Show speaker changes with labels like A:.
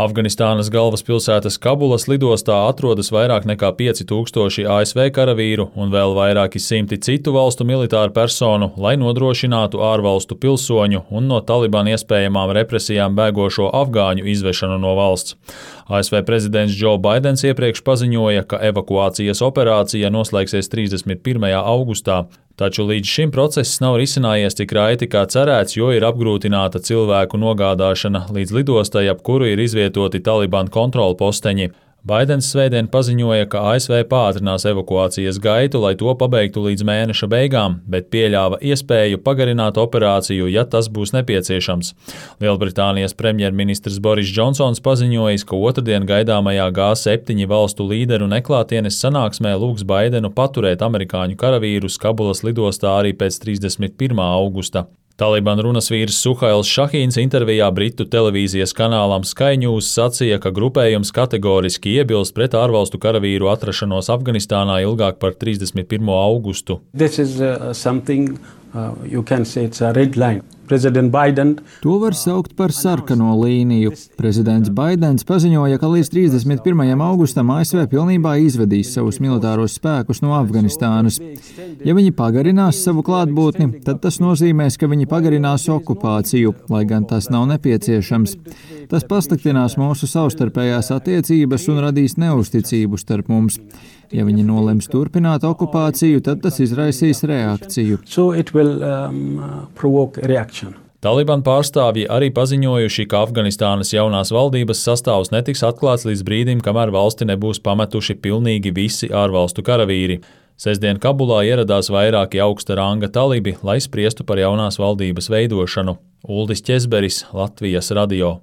A: Afganistānas galvaspilsētas Kabulas lidostā atrodas vairāk nekā 5000 ASV karavīru un vēl vairāki simti citu valstu militāru personu, lai nodrošinātu ārvalstu pilsoņu un no Talibana iespējamām represijām bēgošo afgāņu izvešanu no valsts. ASV prezidents Joe Baidens iepriekš paziņoja, ka evakuācijas operācija noslēgsies 31. augustā. Taču līdz šim process nav risinājies tik raiti kā cerēts, jo ir apgrūtināta cilvēku nogādāšana līdz lidostai, ap kuru ir izvietoti Talibana kontrolposteņi. Baidens svētdien paziņoja, ka ASV pātrinās evakuācijas gaitu, lai to pabeigtu līdz mēneša beigām, bet pieļāva iespēju pagarināt operāciju, ja tas būs nepieciešams. Lielbritānijas premjerministrs Boris Džonsons paziņojis, ka otrdien gaidāmajā G7 valstu līderu neklātienes sanāksmē lūgs Baidenu paturēt amerikāņu karavīrus Kabulas lidostā arī pēc 31. augusta. Talibana runas vīrs Suhails Šahīns intervijā Britu televīzijas kanālam Sky News sacīja, ka grupējums kategoriski iebilst pret ārvalstu karavīru atrašanos Afganistānā ilgāk par 31. augustu.
B: To var saukt par sarkano līniju. Prezidents Baidens paziņoja, ka līdz 31. augustam ASV pilnībā izvedīs savus militāros spēkus no Afganistānas. Ja viņi pagarinās savu klātbūtni, tad tas nozīmēs, ka viņi pagarinās okupāciju, lai gan tas nav nepieciešams. Tas pasliktinās mūsu savstarpējās attiecības un radīs neusticību starp mums. Ja viņi nolems turpināt okupāciju, tad tas izraisīs reakciju.
A: Talibana pārstāvji arī paziņojuši, ka Afganistānas jaunās valdības sastāvs netiks atklāts līdz brīdim, kamēr valsti nebūs pametuši pilnīgi visi ārvalstu karavīri. Sestdien Kabulā ieradās vairāki augsta ranga talibi, lai spriestu par jaunās valdības veidošanu. Uldis Ķezberis, Latvijas radio.